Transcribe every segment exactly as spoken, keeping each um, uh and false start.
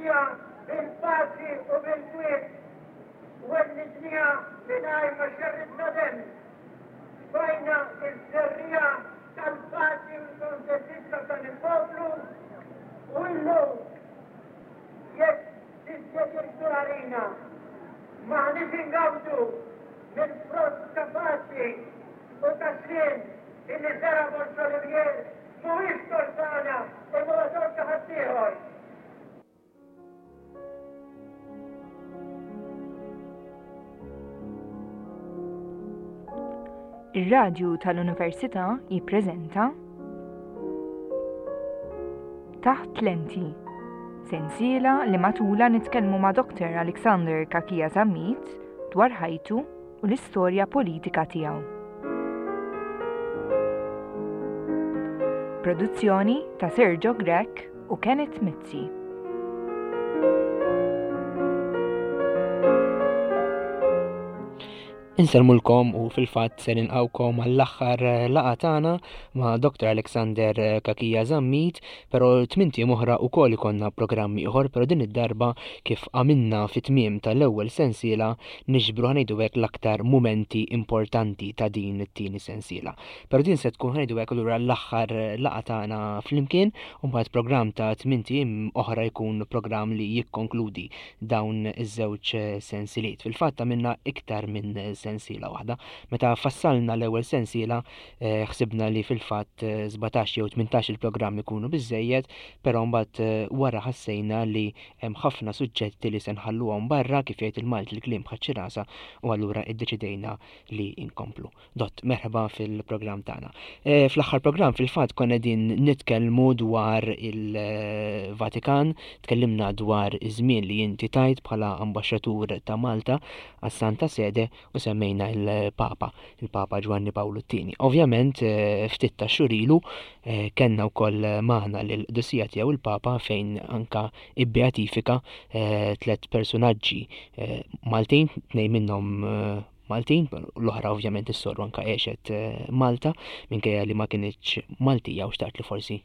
Wellidniha bil-paċi u bil-kwiet. Wellidniha mingħajr ma xerridna demm. Tfajna ż-żerriegħa tal-paċi u l-kontentizza f'dan il-poplu u illum jekk dispjaċir għalina m'aħniex ingawdu mill-frott ta' paċi u ta' sliem illi żera' Borg Olivier mhuwiex tort tagħna imma huwa tort ta' ħaddieħor. Ir-Radju tal-Università jippreżenta Taħt Lenti, sensiela li matula nitkellmu ma' Doktor Alexander Cachia Zammit dwar ħajtu u l-istorja politika tiegħu. Produzzjoni ta' Sergio Grech u Kenneth Mizzi. Insellmulkom u fil-fatt se nilqgħukom għall-aħħar laqgħa tagħna ma' Doktor Alexander Cachia Zammit, però tmint ijiem oħra wkoll ikollna programm ieħor, però din id-darba kif għamilna fit-tmiem tal-ewwel sensiela niġbru ħa ngħidu hekk l-aktar mumenti importanti ta' din it-tieni sensiela. Però din se tkun ħa ngħidu hekk allura l-aħħar laqgħa tagħna flimkien, u mbagħad programm ta' tmint ijiem oħra jkun programm li jikkonkludi dawn iż-żewġ sensiliet. Fil-fatt għamilna iktar minn sensiela waħda. Meta fassalna l-ewwel sensiela, eh, ħsibna li fil-fatt, eh, sbatax jew tmintax il-programm ikunu biżejjed, però mbagħad, eh, wara ħassejna li hemm ħafna suġġetti li se nħalluhom barra, kif jgħid il-Malti l-kliem bħal rasa, u allura iddeċidejna li inkomplu. Dott, merħba fil-programm tagħna. Eh, fl-aħħar programm fil-fatt konna qegħdin nitkellmu dwar il-Vatikan, tkellimna dwar iż-żmien li inti tajt bħala ambaxxatur ta' Malta għas-Santa Sede u semmejna il-Papa, il-Papa Ġwanni Pawlu t-tieni. Ovvjament, eh, ftit ta' xhur ilu, eh, kellna wkoll magħna lill-qdusija tiegħu il-Papa fejn anka ibbeatifika, eh, tliet personaġġi, eh, Maltin, tnejn minnhom, eh, Maltin, l-oħra ovvjament is-soru anka għexet, eh, Malta, minkejja li ma kinitx Maltija u xtaqt li forsi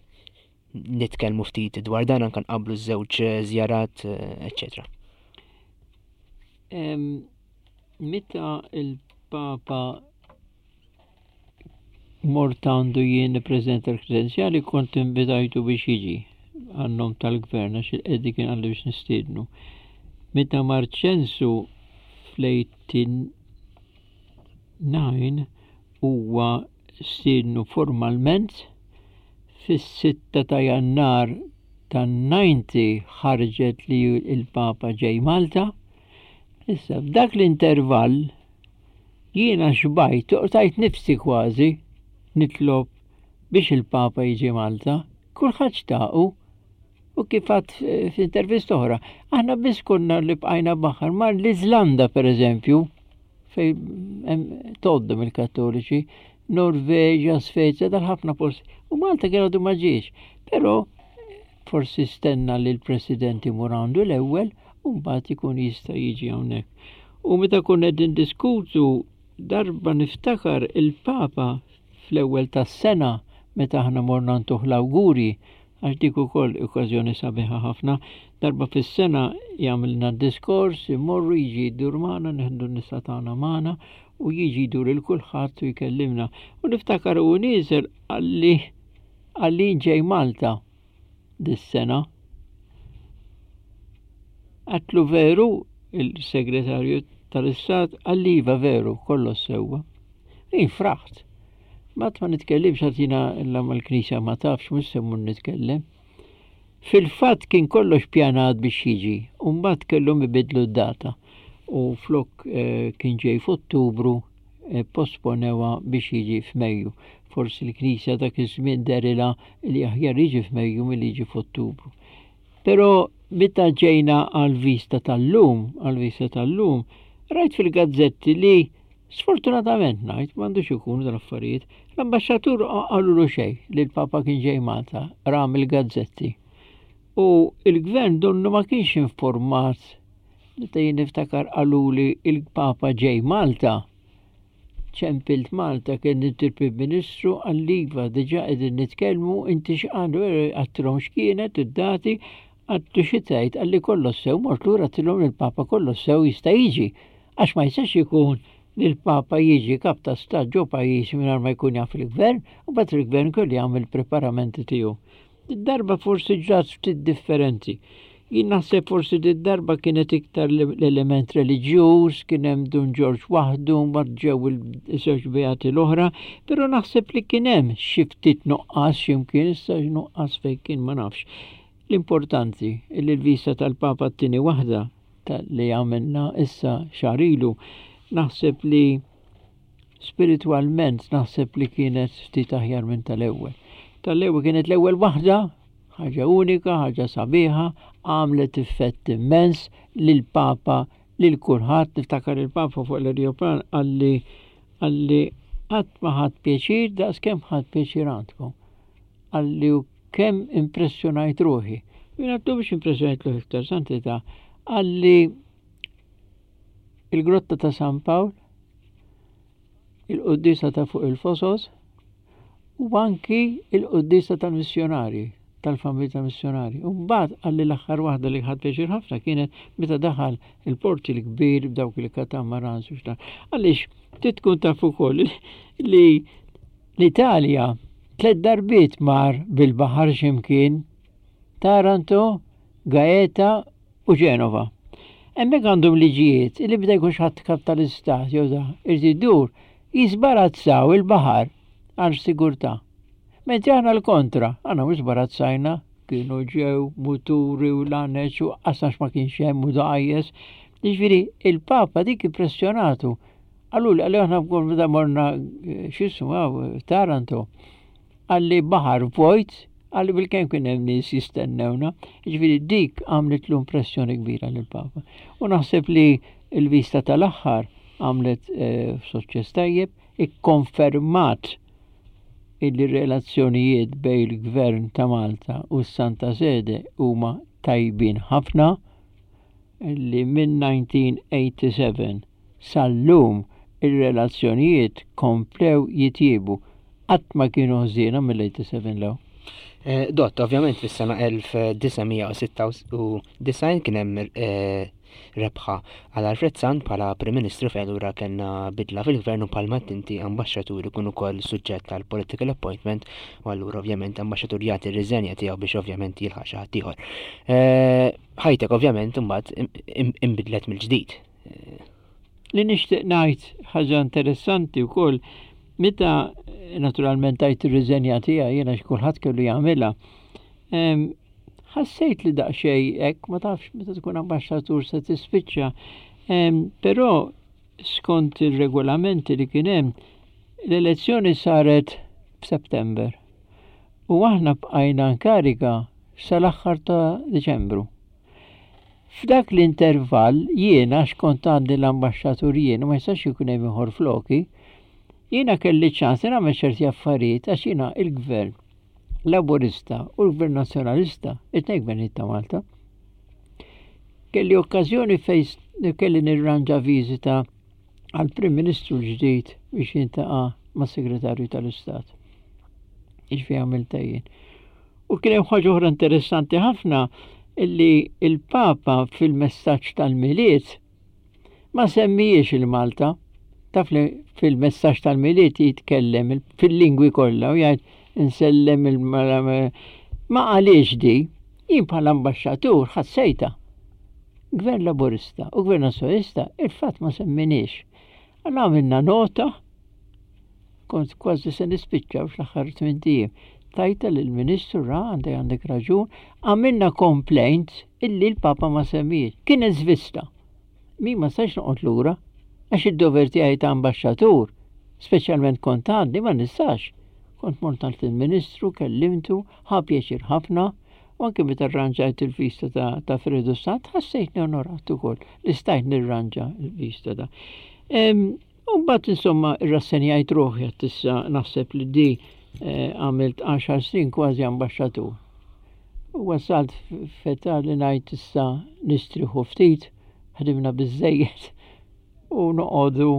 nitkellmu ftit dwar dan anka nqabblu ż-żewġ żjarat, eh, eċċetera. Em, meta il-Papa mort għandu jien nippreżenta l-kredenzjali, kont invitajtu biex jiġi għan-nom tal-gvern, għax il-qedi kien għalli biex nistiednu. Meta mar ċensu fl-eighty-nine huwa stiednu formalment fis-sitta ta' Jannar tan-ninety ħarġet li il-Papa ġej Malta. Issa, f'dak l-intervall jiena xbajt, tajt nifsi kważi nitlob biex il-Papa jiġi Malta, kulħadd xtaqu, u kif għad f'intervista oħra, aħna biss konna li bqajna baħar, mar l-Iżlanda per eżempju, fej hemm toddhom il-Kattoliċi, Norveġa, Svezja, dal-ħafna posti, u Malta kien għadu ma ġiex, però forsi stenna li l-President imur għandu l-ewwel u mbagħad ikun jista' jiġi hawnhekk. U meta konna qegħdin diskutu darba niftakar il-Papa fl-ewwel tas-sena meta aħna morna ntuh l-awguri, għax dik ukoll okkażjoni sabiħa ħafna, darba fis-sena jagħmilna diskors, imorru jiġi jdur magħna, nieħdu n-nisa tagħna magħna u jiġi jdur il kulħadd u jkellimna. U niftakar u nieżel qalli qalli ġej Malta dis-sena. Għatlu veru il-segretarju tal-Istat, qalli iva veru, kollox sewwa. Jien fraħt. Ma ma nitkellimx għax jiena illa mal-Knisja ma tafx, mhux se mmur nitkellem. Fil-fatt kien kollox pjanat biex jiġi, u mbagħad kellhom ibidlu d-data. U flok, eh, kien ġej f'Ottubru, eh, posponewa biex jiġi f'Mejju. Forsi l-Knisja dak iż-żmien derilha li aħjar jiġi f'Mejju milli jiġi f'Ottubru. Però meta ġejna għall-vista tal-lum, għall-vista tal-lum, rajt fil-gazzetti li sfortunatament ngħid m'għandux ikunu dal-affarijiet, l-ambaxxatur qalulu xejn li l-Papa kien ġej Malta, ram il-gazzetti. U il-gvern donnu ma kienx informat, meta jien niftakar qaluli il-Papa ġej Malta, ċempilt Malta kien il-Prim Ministru għal-Liva, diġà qegħdin nitkellmu, inti x'qalu, għattilhom x'kienet id-dati, Għedtlu xi tgħid, qalli kollox sew, mort lura għedtilhom il-Papa kollox sew jista' jiġi. Għax ma jistax ikun li l-Papa jiġi kap ta' stat ġo pajjiż mingħajr ma jkun jaf il-gvern, u mbagħad il-gvern kollu jagħmel preparamenti tiegħu. Darba forsi ġrat ftit differenti. Jien naħseb forsi darba kienet iktar l-element reliġjuż, kien hemm Dun Ġorġ waħdu, mbagħad ġew il-żewġ beati l-oħra, però naħseb li kien hemm xi ftit nuqqas x'imkien, issa nuqqas fejn kien ma nafx. L-importanti li l-vista tal-Papa t-tieni waħda li għamilna issa xahar ilu, naħseb li spiritualment naħseb li kienet ftit aħjar minn tal-ewwel. Tal-ewwel kienet l-ewwel waħda, ħaġa unika, ħaġa sabiħa, għamlet effett immens lil-Papa, lil kulħadd. Niftakar il-Papa fuq l-aeroplan qalli qalli qatt ma ħadt pjaċir daqs kemm ħadt pjaċir għandkom. Qalli u kemm impressjonajt ruħi. Jien għedtlu biex impressjonajt ruħi iktar, Santità. Qalli il-grotta ta' San Pawl, il-quddiesa ta' fuq il-Fosos, u anki il-quddiesa tal-missjonari, tal-familja tal-missjonari. U mbagħad qalli l-aħħar waħda li ħadt pjaċir ħafna kienet meta daħal il-porti l-kbir b'dawk il-katamarans u x'dan. Għaliex trid tkun taf ukoll li l-Italja tliet darbiet mar bil-baħar x'imkien, Taranto, Gaeta u Ġenova. Hemmhekk għandhom liġijiet li bda jkun ħadd kap tal-istat jew da irid idur jisbarazzaw il-baħar għal sigurtà. Mentri aħna l-kontra, aħna mhux barazzajna, kienu ġew muturi u laneċ u qasnax ma kienx hemm u dgħajjes. Jiġifieri il-Papa dik impressjonatu. Qallu li qalli aħna meta morna x'ismu Taranto. Qalli baħar vojt, qalli bil-kemm kien hemm nies jistennewna. Jiġifieri dik għamlet l impressjoni kbira lill-Papa. U naħseb li l-vista tal-aħħar għamlet eh, suċċess tajjeb, ikkonfermat illi relazzjonijiet bejn il-Gvern ta' Malta u s-Santa Sede huma tajbin ħafna, li minn elf disa' mija u sebgħa u tmenin sal-lum ir-relazzjonijiet komplew jitjiebu. Qatt ma kienu ħżiena mill-sebgħa u tmenin 'l hawn. Eh, Dott, ovvjament fis-sena elf disa' mija u sitta u disgħin kien hemm eh, rebħa għal Alfred Sant bħala Prim Ministru, fejn allura kellna bidla fil-gvern u bħalma inti ambaxxatur ikun ukoll suġġett għal political appointment u allura ovvjament ambaxxatur jagħti r-riżenja tiegħu biex ovvjament jilħaq xi ħadd ieħor. Eh, ħajtek ovvjament imbagħad imbidlet mill-ġdid. Li nixtieq ngħid ħaġa interessanti wkoll, meta naturalment tajt ir-riżenja tiegħi jiena, kulħadd kellu jagħmilha. Ħassejt li daqsxejn hekk, ma tafx meta tkun ambaxxatur se tispiċċa. Però skont ir-regolamenti li kien hemm, l-elezzjoni saret f'September. U aħna bqajna nkariga sal-aħħar ta' Diċembru. F'dak l-intervall jiena x'kont għandi l-ambaxxatur jien u ma jistax ikun hemm ieħor floki, jiena kelli ċans nagħmel ċerti affarijiet għax jiena il-gvern Laburista u l-Gvern Nazzjonalista, it-tnejn gvernijiet ta' Malta. Kelli okkażjoni fejn kelli nirranġa viżita għal Prim Ministru l-ġdid biex jiltaqa' mas Segretarju tal-Istat. Jiġifieri għamiltha jien. U kien hemm ħaġa oħra interessanti ħafna illi il-Papa fil-messaġġ tal-Milied ma semmijiex il-Malta. Taf li fil-messaġġ tal-Milied jitkellem fil-lingwi kollha u jgħid insellem il ma għaliex di, jien bħala ambaxxatur ħassejta. Gvern Laburista u Gvern Nazzjonalista il-fatt ma semminiex. Għalla għamilna nota, kont kważi se nispiċċa fl-aħħar tmint ijiem. Tajtha lill-Ministru, ra, għandek għandek raġun, għamilna complaint illi l-Papa ma semmiex. Kienet żvista. Mi ma stax noqgħod lura, għax id-dover tiegħi ta' ambaxxatur, speċjalment kont għandi, ma nistax. Kont mort għand il-Ministru, kellimtu, ħa pjaċir ħafna, u anke meta rranġajt il-vista ta', ta' Fredu Sant, ħassejtni onorat ukoll li stajt nirranġa il-vista ta' U mbagħad insomma irrassenjajt ruħi, għedt issa naħseb li di eh, għamilt għaxar snin kważi ambaxxatur. U wasalt f'età li ngħid issa nistriħu ftit, ħdimna biżejjed u noqogħdu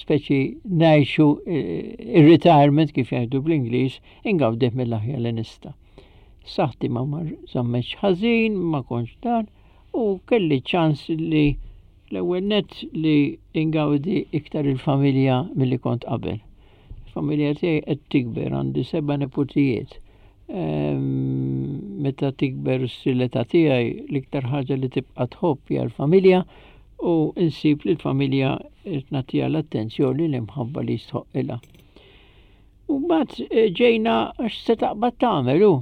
speċi ngħixu eh, il-retirement, kif jgħidu bl-Ingliż, ingawdih mill-aħjar li nista'. Saħħti ma żammetx ħażin, ma kontx dan, u kelli ċans li l-ewwel nett li ingawdi iktar il-familja milli kont qabel. Il-familja tiegħi qed tikber, għandi seba' neputijiet. Meta tikber s-sileta tiegħi, l-iktar ħaġa li tibqa' tħobb hija l-familja, u insib li l-familja qed nagħtiha l-attenzjoni, l-imħabba li jistħoqqilha. U mbagħad eh, ġejna għax se taqbad tagħmel hu.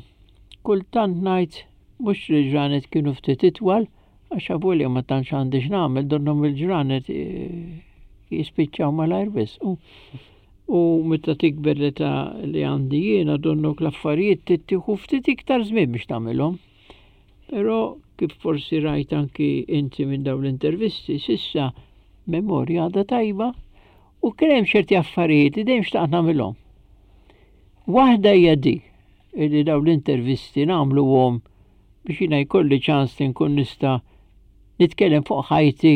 Kultant ngħid mhux li ġranet kienu ftit itwal, għax avolja ma tantx għandi x'nagħmel, donnhom il-ġranet eh, jispiċċaw malajr wisq. U, u meta tikber l-età li għandi jiena, donnok l-affarijiet tittieħu ftit iktar żmien biex tagħmilhom. Però kif forsi rajt anki inti minn dawn l-intervisti, s'issa memorja għadha tajba u kien hemm ċerti affarijiet li dejjem xtaqt nagħmilhom. Waħda hija di, li dawn l-intervisti nagħmluhom biex jiena jkolli ċans li nkun nista' nitkellem fuq ħajti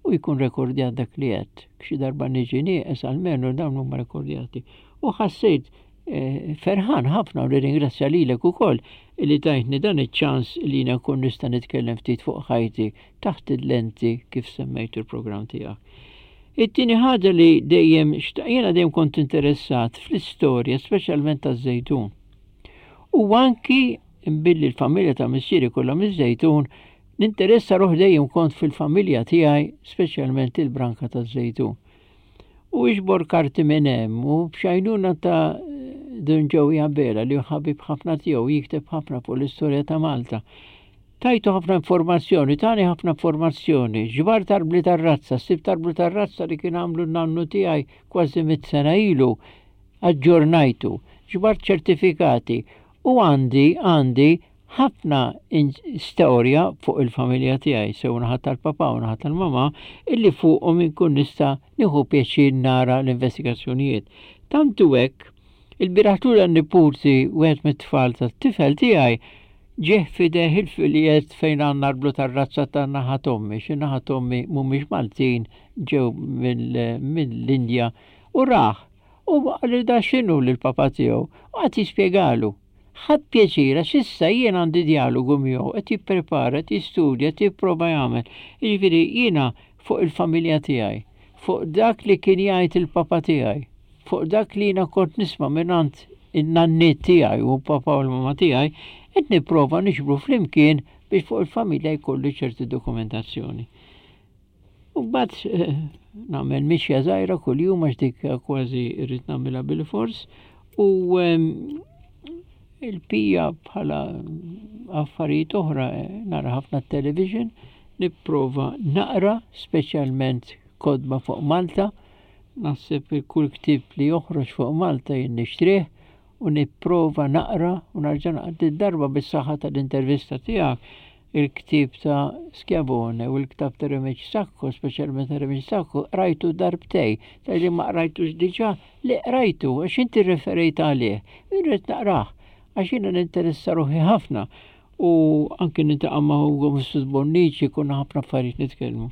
u jkun rekordjat dak li għedt. Xi darba niġi nieqes, almenu dawn huma rekordjati. U ħassejt eh, ferħan ħafna u nirringrazzja lilek ukoll li tajtni dan iċ-ċans li jiena nkun nista' nitkellem ftit fuq ħajti taħt il-lenti, kif semmejtu il-programm tiegħek. It-tieni ħaġa li dejjem jiena dejjem kont interessat fl-istorja, speċjalment taż-Żejtun. U anki billi l-familja ta' missieri kollha miż-Żejtun, ninteressa ruħi dejjem kont fil-familja tiegħi, speċjalment il-branka taż-Żejtun. U iġbor karti minn hemm u b'għajnuna ta' Dun Joey Abela, li ħabib ħafna tiegħu, jikteb ħafna fuq l-istorja ta' Malta. Tajtu ħafna informazzjoni, tani ħafna informazzjoni, ġbart arbli tar-razza, sibt arbli tar-razza li kien għamlu n-nannu tiegħi kważi mitt sena ilu, aġġornajtu, ġbart ċertifikati u għandi għandi ħafna storja fuq il-familja tiegħi, sew naħa tal-papa u naħa tal-mama, illi fuqhom inkun nista' nieħu pjaċir nara l-investigazzjonijiet. Tantu hekk, il-bieraħ n-niputi, wieħed mit-tfal tat-tifel tiegħi, ġieħ f'idejh il-filjet fejn għandna arblu tar-razza ta' naħa t'ommi, xi naħa t'ommi mhumiex Maltin, ġew mill-Indja, u raħ. U qalli da x'inhu lill-papa tiegħu, u qagħad jispjegalu. Ħadd pjaċir għax issa jien għandi dialogu miegħu, qed jipprepara, qed jistudja, qed jipprova jagħmel. Jiġifieri jiena fuq il-familja tiegħi, fuq dak li kien jgħid il-papa tiegħi, fuq dak li jiena kont nisma' mingħand in-nanniet tiegħi u papa u l-mama tiegħi, qed nipprova niġbru flimkien biex fuq il-familja jkollu ċerti dokumentazzjoni. U mbagħad eh, nagħmel mixja żgħira kuljum, għax dik kważi rrid nagħmilha bil-fors, u il-pija bħala affarijiet oħra, eh, nara ħafna television, nipprova naqra, speċjalment kotba fuq Malta. Naħseb kull ktieb li joħroġ fuq Malta jien nixtrih u nipprova naqra u narġa' naqra. Darba bis-saħħa tal-intervista tiegħek, il-ktieb ta' Schiavone u l-ktieb ta' Remigi Sacco, speċjalment ta' Remigi Sacco, rajtu darbtejn, tal-li ma rajtux diġà, li rajtu, għax inti referejt għalih, irrid naqrah, għax jiena ninteressa ruħi ħafna u anki niltaqa' ma' Ugo Mifsud Bonnici, konna ħafna affarijiet nitkellmu.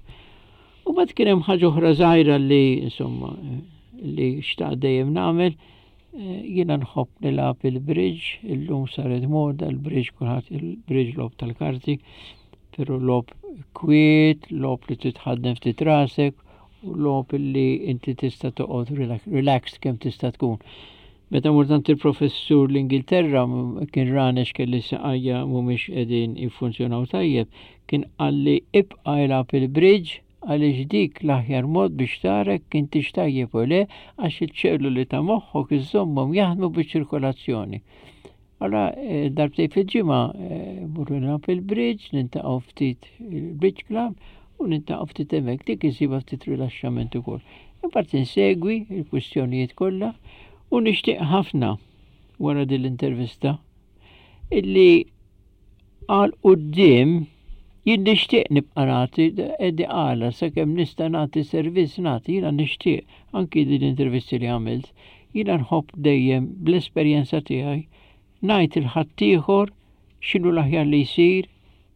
U mbagħad kien hemm ħaġa oħra żgħira li insomma li xtaqt dejjem nagħmel, eh, jiena nħobb nilgħab il-bridge. Illum saret moda il-bridge, kulħadd il-bridge, logħob tal-karti, però logħob kwiet, logħob li titħaddem ftit rasek u logħob li inti tista' toqgħod relaxed kemm tista' tkun. Meta mort għand il-professur l-Ingilterra, kien rani kelli saqajja mhumiex qegħdin jiffunzjonaw tajjeb, kien qalli ibqa' ilgħab il-bridge għaliex dik l-aħjar mod biex tara intix tajjeb u le, għax iċ-ċelluli ta' moħħok iżommhom jaħdmu biċ-ċirkolazzjoni. Allora, eh, darbtejn fil-ġimgħa eh, mmorru nilgħab il-bridge, niltaqgħu ftit il-bridge club u niltaqgħu ftit hemmhekk, dik isibha ftit rilaxxament ukoll. Imbagħad insegwi il-kwistjonijiet kollha u nixtieq ħafna wara din l-intervista illi għal quddiem jien nixtieq nibqa' nagħti edi għala sakemm nista' nagħti servizz nagħti. Jiena nixtieq anki din l-intervisti li għamilt, jiena nħobb dejjem bl-esperjenza tiegħi ngħid lil ħaddieħor x'inhu l-aħjar li jsir,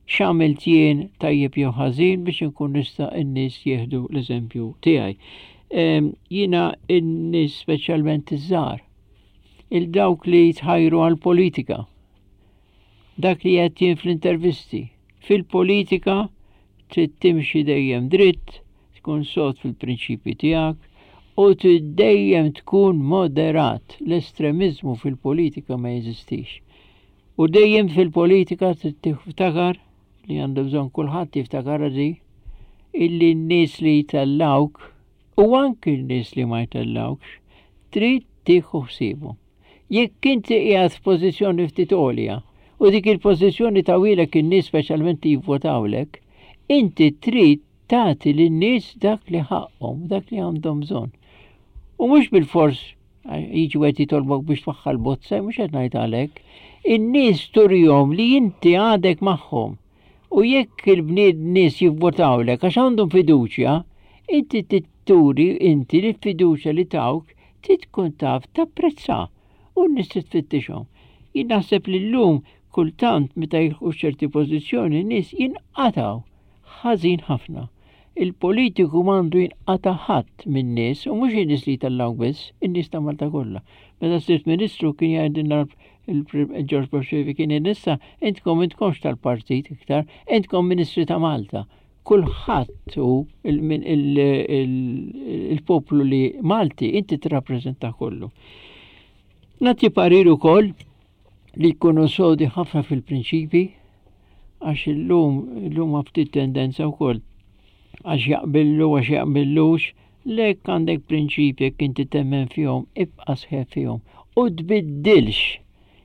x'għamilt jien tajjeb jew ħażin, biex inkun nista' n-nies jieħdu l-eżempju tiegħi. Jiena n-nies, speċjalment iż-żgħar, il dawk li jitħajru għal-politika. Dak li qed jien fl-intervisti. Fil-politika trid timxi dejjem dritt, tkun sod fil-prinċipji tiegħek u trid dejjem tkun moderat. L-estremiżmu fil-politika ma jeżistix. U dejjem fil-politika trid tiftakar li għandu bżonn kulħadd jiftakar di illi n-nies li jtellawk u anki n-nies li ma jtellawkx trid tieħu ħsiebhom. Jekk inti qiegħed f'pożizzjoni ftit għolja u dik il-pożizzjoni tawhielek in-nies speċjalment li jivvotawlek, inti trid tagħti lin-nies dak li ħaqhom, dak li għandhom bżonn. U mhux bilfors jiġi wieħed jitolbok biex twaħħal bozza, mhux qed ngħid għalhekk. In-nies turihom li inti għadek magħhom. U jekk il-bnied nies jivvotawlek għax għandhom fiduċja, inti turi inti li fiduċja li tawk trid tkun taf tapprezza u n-nies tfittixhom. Jien naħseb li llum kultant meta jilħqu ċerti pożizzjoni nies jinqataw ħażin ħafna. Il-politiku m'għandu jinqata' ħadd min-nies u mhux in-nies li jtellgħu biss, in-nies ta' Malta kollha. Meta sirt ministru kien jgħidilna il-George Borsevi kien issa intkom intkomx tal-partit iktar, intkom ministri ta' Malta. Kulħadd hu il-poplu li Malti inti tirrappreżenta kollu. Nagħti parir ukoll li jkunu sodi ħafna fil-prinċipi għax illum illum ftit tendenza wkoll għax jaqbillu għax jaqbillux lek għandek prinċipi jekk inti temmen fihom ibqa' sħiħ fihom u tbiddilx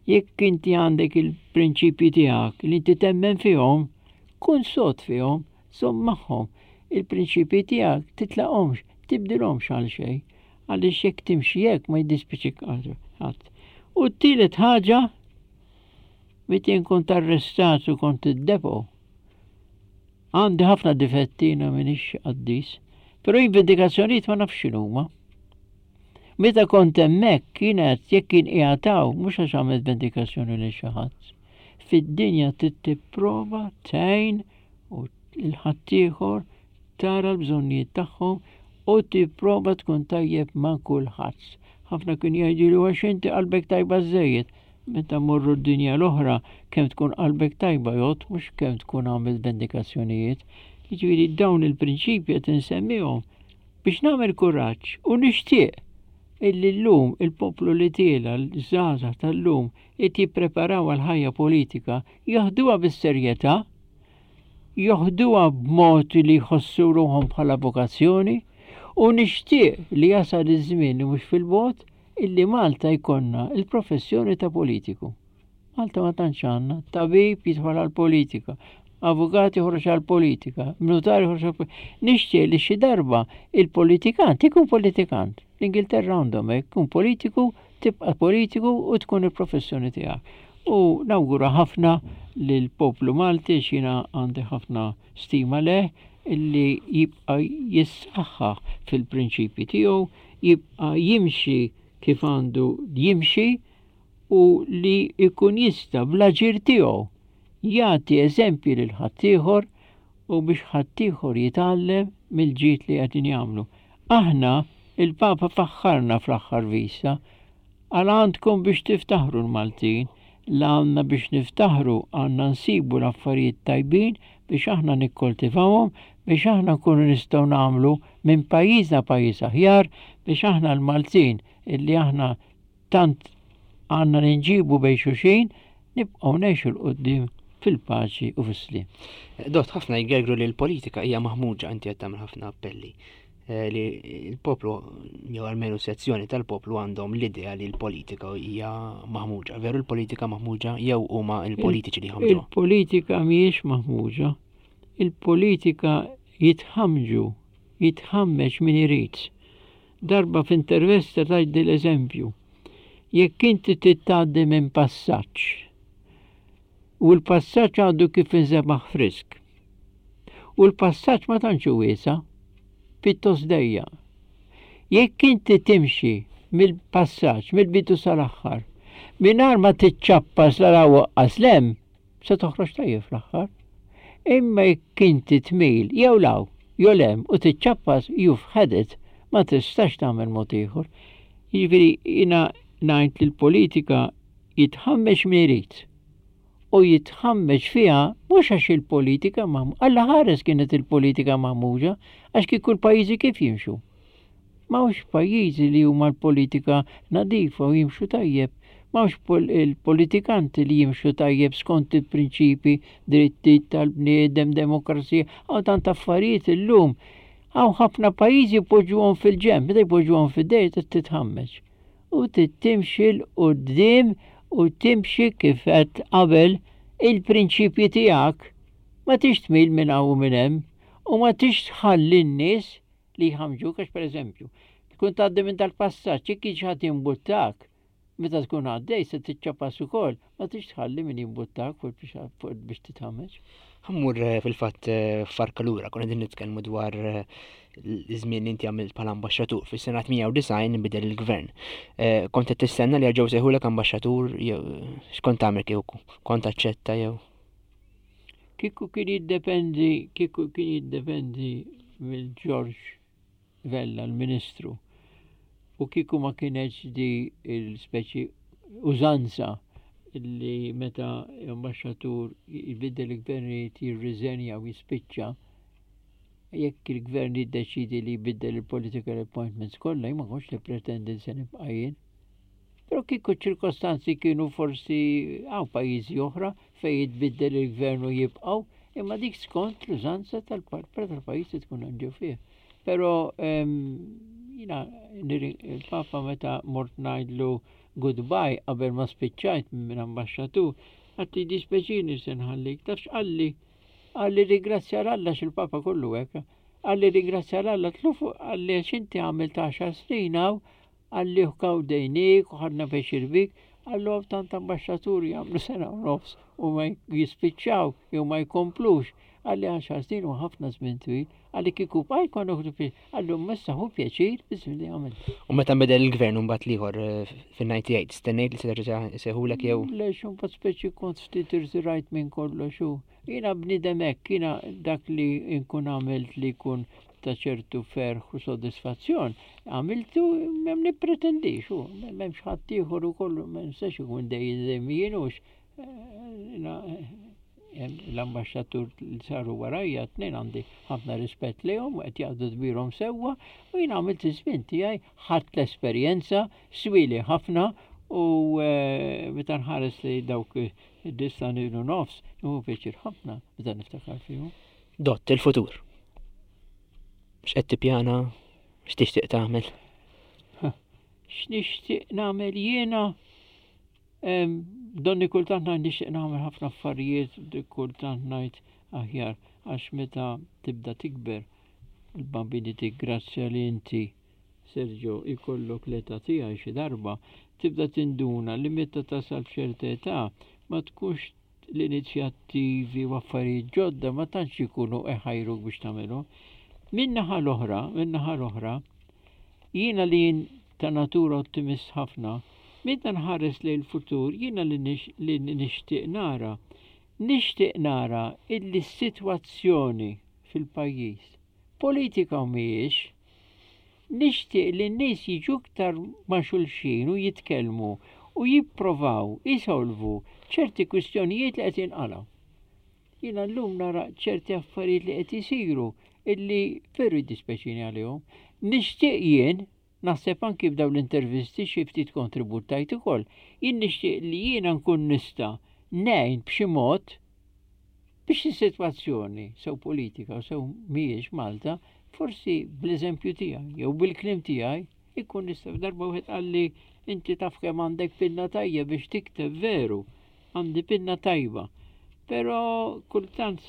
jekk inti għandek il-prinċipji tiegħek li inti temmen fihom kun sod fihom, żomm magħhom. Il-prinċipji tiegħek titlaqhomx, tibdilhomx għal xejn għaliex jekk timxi hekk ma jiddispiċik ħadd. U t-tielet ħaġa meta jien kont arrestat u kont id-depo. Għandi ħafna difetti jiena m'iniex qaddis, però jien vendikazzjonijiet ma nafx x'inhuma. Meta kont hemmhekk kienet jekk kien qiegħed hawn mhux għax għamilt vendikazzjoni lil xi ħadd. Fid-dinja trid tipprova tgħin u l-ħaddieħor tara l-bżonnijiet tagħhom u tipprova tkun tajjeb ma' kulħadd. Ħafna kien jgħidu għax inti qalbek tajba żejjed. Meta morru d-dinja l-oħra, kemm tkun qalbek tajba jgħod, mhux kemm tkun għamilt vendikazzjonijiet. Jiġifieri dawn il-prinċipji qed insemmihom biex nagħmel kuraġġ u nixtieq illi llum il-poplu li tiela l-żgħażagħ tal-lum qed jippreparaw għal ħajja politika jaħduha bis-serjetà, joħduha b'mod li jħossu ruħhom bħala vokazzjoni u nixtieq li jasal iż-żmien li mhux fil-bogħod illi Malta jkollna il-professjoni ta' politiku. Malta ma tantx għandna, tabib jidħol għal-politika, avukat joħroġ għal-politika, notar joħroġ għal-politika. Nixtieq li xi darba il-politikant ikun politikant. L-Ingilterra għandhom hekk, kun politiku, tibqa' politiku u tkun il-professjoni tiegħek. U nawgura ħafna lill-poplu Malti x'jiena għandi ħafna stima leh illi jibqa' jissaħħaħ fil-prinċipji tiegħu, jibqa' jimxi kif għandu jimxi u li jkun jista' bl-aġir tiegħu jagħti eżempji lil ħaddieħor u biex ħaddieħor jitgħallem mill-ġid li qegħdin jagħmlu. Aħna il-Papa faħħarna fl-aħħar vista għal għandkom biex tiftaħru l-Maltin, la għandna biex niftaħru għandna nsibu l-affarijiet tajbin biex aħna nikkoltivawhom, biex aħna nkunu nistgħu nagħmlu minn pajjiżna pajjiż aħjar, biex aħna l-Maltin illi aħna tant għandna ninġibu bejn xulxin, nibqgħu ngħixu 'l quddiem fil-paċi u fis-sliem. Dott, ħafna jgergru li l-politika hija maħmuġa, inti qed tagħmel ħafna appelli. Eh, li l-poplu, jew almenu sezzjoni tal-poplu għandhom l-idea li l-politika hija maħmuġa. Veru l-politika maħmuġa jew huma l-politiċi li ħamġu? Il-politika mhijiex maħmuġa. Il-politika jitħamġu, jitħammeġ min irid. Darba f'intervista tajt l-eżempju. Jekk inti tgħaddi minn passaġġ u l-passaġġ għandu kif inżebaħ frisk. U l-passaġġ ma tantx hu wiesa', pittos dejja. Jekk inti timxi mill-passaġġ, mill-bidu sal-aħħar, mingħajr ma tiċċappas la waqqas lem, se toħroġ tajjeb fl-aħħar. Imma jekk inti tmil jew law, jew lem u tiċċappas, you've had it, ma tistax tagħmel mod ieħor. Jiġifieri jiena ngħid li l-politika jitħammex min irid. U jitħammeġ fiha mhux għax il-politika maħmuġa, Alla ħares kienet il-politika maħmuġa, għax kieku l-pajjiżi kif jimxu. M'hawnx pajjiżi li huma l-politika nadifa u jimxu tajjeb. M'hawnx il-politikanti li jimxu tajjeb skont il-prinċipi, drittijiet tal-bniedem, demokrazija, hawn tant affarijiet illum. Hawn ħafna pajjiżi jpoġġuhom fil-ġenb, meta jpoġġuhom fid-dejr titħammeġ. U timxi 'l quddiem u timxi kif qed qabel il-prinċipji tiegħek. Ma tix tmil minn hawn u minn hemm u ma tix tħalli n-nies li jħamġuk, għax pereżempju, tkun tgħaddi minn tal-passaġġ, jekk jiġi ħadd jimbuttak, meta tkun għaddej se tiċċapas ukoll, ma tix tħalli min jimbuttak fuq biex titħammeġ. Ħa mmur eh, fil-fatt eh, farka lura, konna din nitkellmu dwar eh, l-żmien li inti għamilt bħala ambaxxatur fis-sena tmienja u disgħin inbidel il-gvern. Kont qed tistenna li jerġgħu sejħulek ambaxxatur jew x'kont tagħmel kieku? Kont taċċetta jew? Kieku kien jiddependi, kieku kien jiddependi mill George Vella, l-Ministru. U kieku ma kienx di il-speċi użanza li meta ambaxxatur jbiddel il-gvernijiet jirriżenja u jispiċċa, jekk il-gvern jiddeċidi li jbiddel il-political appointments kollha, ma kontx nippretendi se nibqa' jien. Però kieku ċirkostanzi kienu forsi hawn pajjiżi oħra fejn jitbiddel il-gvern u jibqgħu, imma dik skont l-użanza tal-pajjiż li tkun ġew fih. Però jiena il-Papa meta mort ngħidlu goodbye qabel ma spiċċajt minn ambaxxatur, għedtlu jiddispjaċini se nħallik, taf x'qalli? Qalli ringrazzja Alla, x'il-Papa kollu hekk. Qalli ringrazzja Alla, tlufu, qalli għax inti għamilt għaxar snin hawn, qalli gawdejniek u ħadna pjaċir bik, qallu hawn tant ambaxxaturi jagħmlu sena u nofs u ma jispiċċaw jew ma jkomplux. Qalli għaxar snin u ħafna żmien twil, qalli kieku bqajt kont nieħdu pjaċir, qallu messa hu pjaċir biż-żmien li għamilt. U meta nbidel il-gvern mbagħad l-ieħor eh, fin-ninety eight, stennejt li se terġa' jsejħulek jew? Le, mbagħad speċi kont ftit irtirajt minn kollox u jiena bniedem hekk, jiena dak li nkun għamilt li jkun ta' ċertu ferħ u sodisfazzjon, għamiltu m'hemm nippretendix, u m'hemmx ħadd ieħor ukoll, ma nistax ikun dejjem dejjem jien hux. L-ambaxxatur li saru warajja tnejn għandi ħafna rispett lejhom u qed jaqdu dmirhom sewwa u jien għamilt iż-żmien tiegħi, ħadt l-esperjenza, swili ħafna u, eh, meta nħares li dawk id-disa' u nofs, nieħu pjaċir ħafna meta niftakar fihom. Dott, il-futur. X'qed tippjana? X'tixtieq tagħmel? X'nixtieq nagħmel jiena? Em, donni kultant ngħid nixtieq nagħmel ħafna affarijiet, kultant ngħid aħjar għax meta tibda tikber il-bambini tiggrazzja li inti Sergio ikollok l-età tiegħi xi darba, tibda tinduna li meta tasal f'ċerta età ma tkunx l-inizjattivi u affarijiet ġodda ma tantx ikunu eħajruk biex tagħmelhom. Min-naħa l-oħra, min-naħa l-oħra, jiena li jien ta' natura ottimist ħafna, meta nħares lejn il-futur, jiena li nix-, li nixtieq nara, nixtieq nara illi s-sitwazzjoni fil-pajjiż, politika u mhijiex, nixtieq li n-nies jiġu iktar ma' xulxin u jitkellmu u jipprovaw isolvu ċerti kwistjonijiet li qed jinqalgħu. Jiena llum nara ċerti affarijiet li qed isiru illi veru jiddispjaċini għalihom. Nixtieq jien, naħseb anki b'dawn l-intervisti xi ftit kontribut tajt ukoll, jien nixtieq li jiena nkun nista' ngħin b'xi mod biex is-sitwazzjoni sew politika u sew mhijiex Malta, forsi bl-eżempju tiegħi jew bil-kliem tiegħi ikun nista'. Darba wieħed qalli inti taf kemm għandek pinna tajba biex tikteb, veru, għandi pinna tajba. Però kultant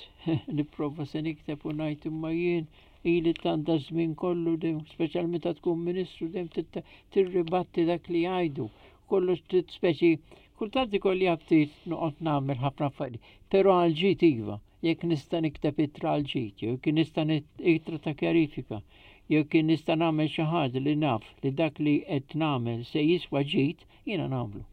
nipprova se nikteb u ngħid imma jien ili tant da żmien kollu dejjem, speċjalment meta tkun ministru dejjem titta-, tirribatti dak li jgħidu. Kollox tit speċi, kultant ikolli ftit noqgħod nagħmel ħafna affarijiet, però għal ġid iva, jekk nista' nikteb ittra għal ġid, jew jekk nista' nit-, ittra ta' kjarifika, jew jekk nista' nagħmel xi ħaġa li naf li dak li qed nagħmel se jiswa ġid, jiena nagħmlu.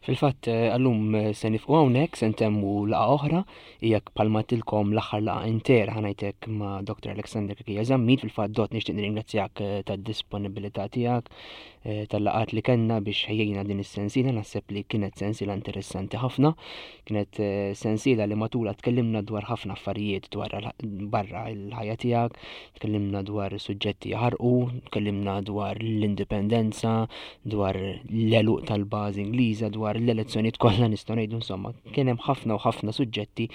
Fil-fatt eh, għallum eh, se nifqu hawnhekk se ntemmu laqgħa oħra hija bħalma tilkom l-aħħar laqgħa intera ħanajtek ma' Dr. Alexander Cachia Zammit fil-fatt dot nixtieq nirringrazzjak eh, tad-disponibilità tiegħek tal-laqgħat li kellna biex ħejjejna din is-sensiela naħseb li kienet sensiela interessanti ħafna kienet sensiela li matula tkellimna dwar ħafna affarijiet dwar barra l-ħajja tiegħek tkellimna dwar suġġetti jaħarqu, tkellimna dwar l-indipendenza, dwar l-għeluq tal-bażi Ingliża, dwar l-elezzjonijiet kollha nistgħu ngħidu insomma, kien hemm ħafna u ħafna suġġetti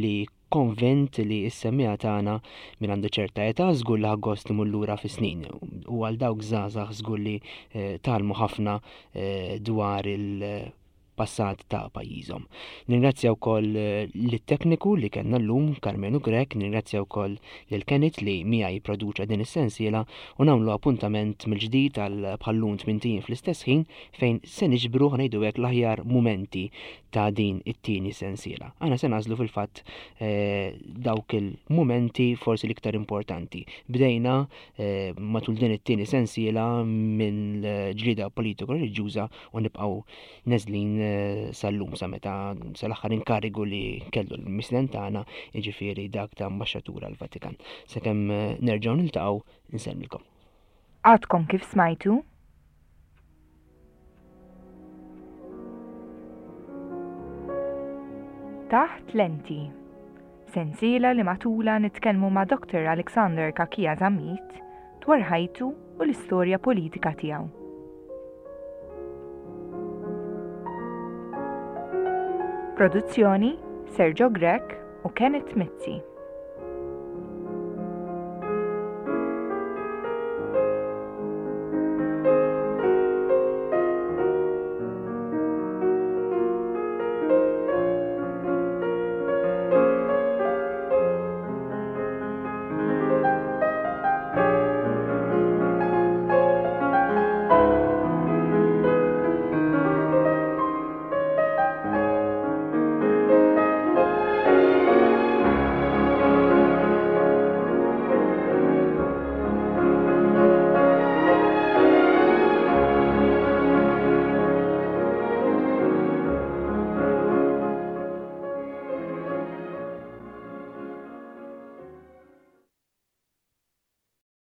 li konvint li s-semmiegħa tagħna min għandu ċerta età żgur li ħa gost imur lura fis-snin u għal dawk żgħażagħ żgur li eh, tgħallmu ħafna eh, dwar il- passat ta' pajjiżhom. Nirringrazzja wkoll eh, lit-tekniku li kellna llum Karmenu Grech, nirringrazzja wkoll lil Kenneth li miegħi jipproduċa din is-sensiela u nagħmlu appuntament mill-ġdid għal bħallum tmint ijiem fl-istess ħin fejn se niġbru ngħidu hekk l-aħjar mumenti ta' din it-tieni sensiela. Aħna se nagħżlu fil-fatt eh, dawk il-mumenti forsi l-iktar importanti. Bdejna eh, matul din it-tieni sensiela minn ġlieda politiko reliġjuża u nibqgħu neżlin eh, sal-lum sa meta sal-aħħar inkarigu li kellu l-mistieden tagħna jiġifieri dak ta' ambaxxatur għall-Vatikan. Sakemm nerġgħu niltaqgħu insellmilkom. Għadkom kif smajtu? Taħt Lenti. Sensiela li matula nitkellmu ma' Dr. Alexander Cachia Zammit dwar ħajtu u l-istorja politika tiegħu. Produzzjoni Sergio Grech u Kenneth Mizzi.